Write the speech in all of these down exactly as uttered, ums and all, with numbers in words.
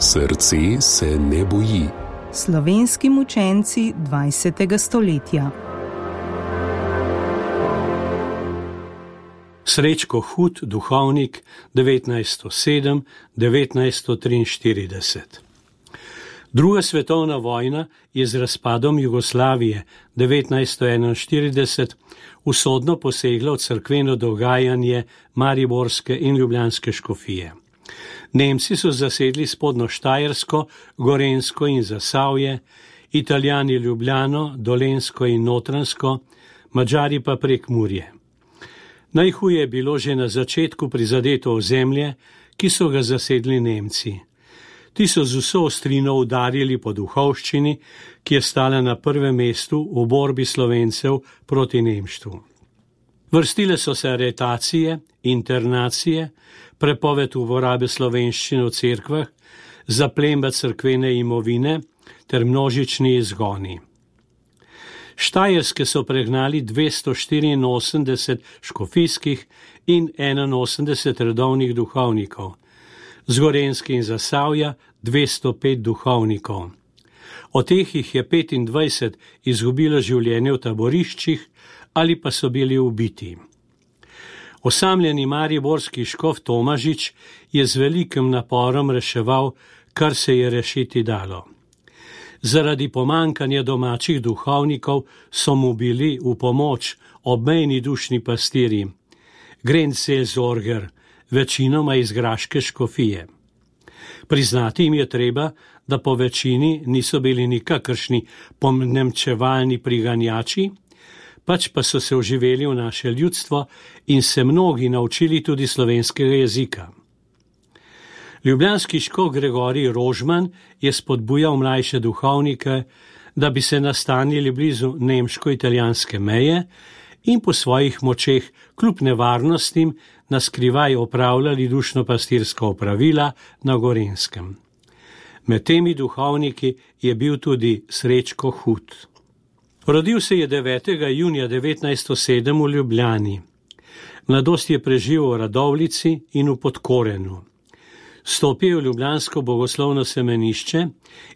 Srce se ne boji. Slovenski mučenci dvajsetega stoletja. Srečko Hud, duhovnik, devetnajststo sedem do devetnajststo triinštirideset. Druga svetovna vojna je z razpadom Jugoslavije devetnajststo enainštirideset usodno posegla v cerkveno dogajanje mariborske in ljubljanske škofije. Nemci so zasedli spodnjo Štajersko, Gorenjsko in Zasavje, Italijani Ljubljano, Dolenjsko in Notranjsko, Madžari pa Prekmurje. Najhuje je bilo že na začetku prizadeto ozemlje, ki so ga zasedli Nemci. Ti so z vso ostrino udarili po duhovščini, ki je stala na prvem mestu v borbi Slovencev proti nemštvu. Vrstile so se aretacije, internacije, prepoved uporabe slovenščine v cerkvah, zaplemba cerkvene imovine ter množični izgoni. Štajerske so pregnali dvesto štiriinosemdeset škofijskih in enainosemdeset redovnih duhovnikov, z Gorenjske in Zasavja dvesto pet duhovnikov. Od teh jih je petindvajset izgubilo življenje v taboriščih ali pa so bili ubiti. Osamljeni mariborski škof Tomažič je z velikim naporom reševal, kar se je rešiti dalo. Zaradi pomankanja domačih duhovnikov so mu bili v pomoč obmejni dušni pastirji, Grenzelsorger, večinoma iz graške škofije. Priznati jim je treba, da po večini niso bili nikakršni ponemčevalni priganjači, pač pa so se vživeli v naše ljudstvo in se mnogi naučili tudi slovenskega jezika. Ljubljanski škof Gregorij Rožman je spodbujal mlajše duhovnike, da bi se nastanili blizu nemško-italijanske meje in po svojih močeh kljub nevarnostim naskrivaj opravljali dušno-pastirska opravila na Gorenjskem. Med temi duhovniki je bil tudi Srečko Hud. Rodil se je devetega junija devetnajststo sedem v Ljubljani. Mladost je preživel v Radovljici in v Podkorenu. Stopil je v ljubljansko bogoslovno semenišče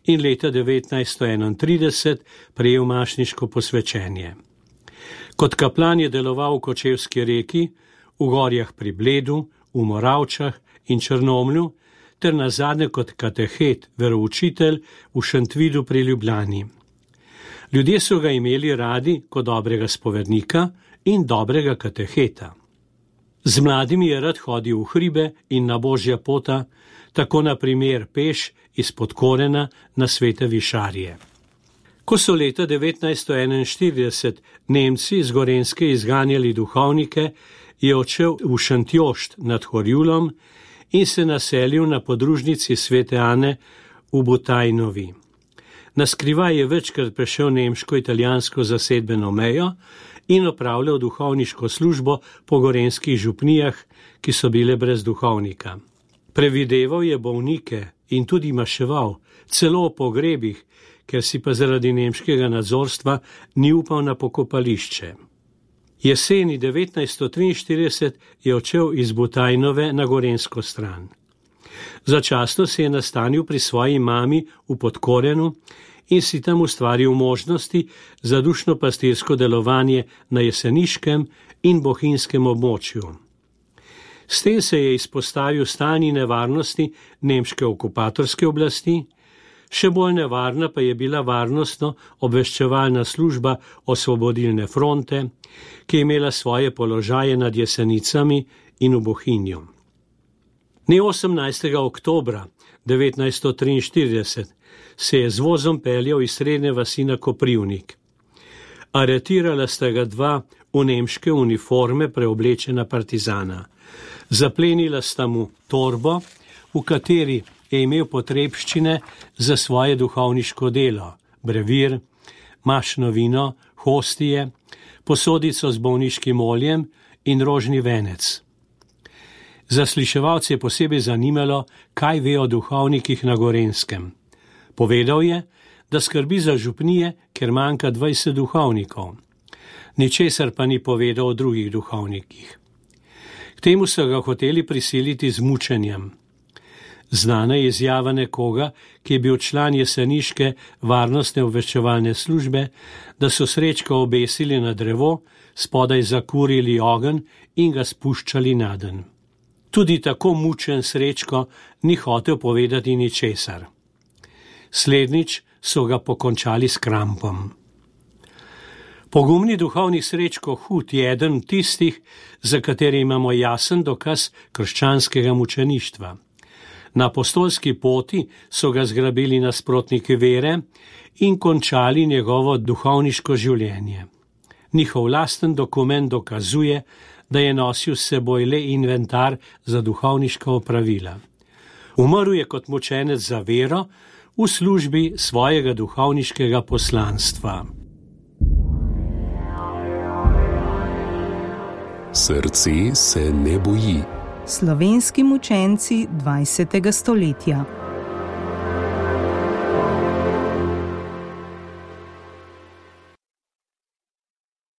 in leta devetnajststo enaintrideset prejel mašniško posvečenje. Kot kaplan je deloval v Kočevski Reki, v Gorjah pri Bledu, v Moravčah in Črnomlju, ter nazadnje kot katehet, veroučitelj v Šentvidu pri Ljubljani. Ljudje so ga imeli radi kot dobrega spovednika in dobrega kateheta. Z mladimi je rad hodil v hribe in na božja pota, tako na primer peš iz Podkorena na Svete Višarje. Ko so leta devetnajststo enainštirideset Nemci z Gorenjske izganjali duhovnike, je odšel v Šentjošt nad Horjulom in se naselil na podružnici Svete Ane v Butajnovi. Naskrivaj je večkrat prešel nemško-italijansko zasedbeno mejo in opravljal duhovniško službo po gorenjskih župnijah, ki so bile brez duhovnika. Prevideval je bolnike in tudi maševal, celo o pogrebih, ker si pa zaradi nemškega nadzorstva ni upal na pokopališče. Jeseni devetnajststo triinštirideset je odšel iz Butajnove na gorenjsko stran. Začasno se je nastanil pri svoji mami v Podkorenu in si tam ustvaril možnosti za dušno-pastirsko delovanje na jeseniškem in bohinjskem območju. S tem se je izpostavil stalni nevarnosti nemške okupatorske oblasti, še bolj nevarna pa je bila varnostno obveščevalna služba Osvobodilne fronte, ki je imela svoje položaje nad Jesenicami in v Bohinju. Dne osemnajstega oktobra devetnajststo triinštirideset se je z vozom peljal iz srednje vasi na Koprivnik. Aretirala sta ga dva v nemške uniforme preoblečena partizana. Zaplenila sta mu torbo, v kateri je imel potrebščine za svoje duhovniško delo, brevir, mašno vino, hostije, posodico z bolniškim oljem in rožni venec. Zasliševalce je posebej zanimalo, kaj ve o duhovnikih na Gorenjskem. Povedal je, da skrbi za župnije, ker manjka dvajset duhovnikov. Ničesar pa ni povedal o drugih duhovnikih. K temu so ga hoteli prisiliti z mučenjem. Znana je izjava nekoga, ki je bil član jeseniške varnostne obveščevalne službe, da so Srečka obesili na drevo, spodaj zakurili ogenj in ga spuščali naden. Tudi tako mučen Srečko ni hotel povedati ničesar. Slednjič so ga pokončali s krampom. Pogumni duhovnik Srečko Hud je eden tistih, za katere imamo jasen dokaz krščanskega mučeništva. Na apostolski poti so ga zgrabili nasprotniki vere in končali njegovo duhovniško življenje. Njihov lasten dokument dokazuje, da je nosil s seboj le inventar za duhovniška opravila. Umrl je kot mučenec za vero v službi svojega duhovniškega poslanstva. Srce se ne boji. Slovenski mučenci dvajsetega stoletja.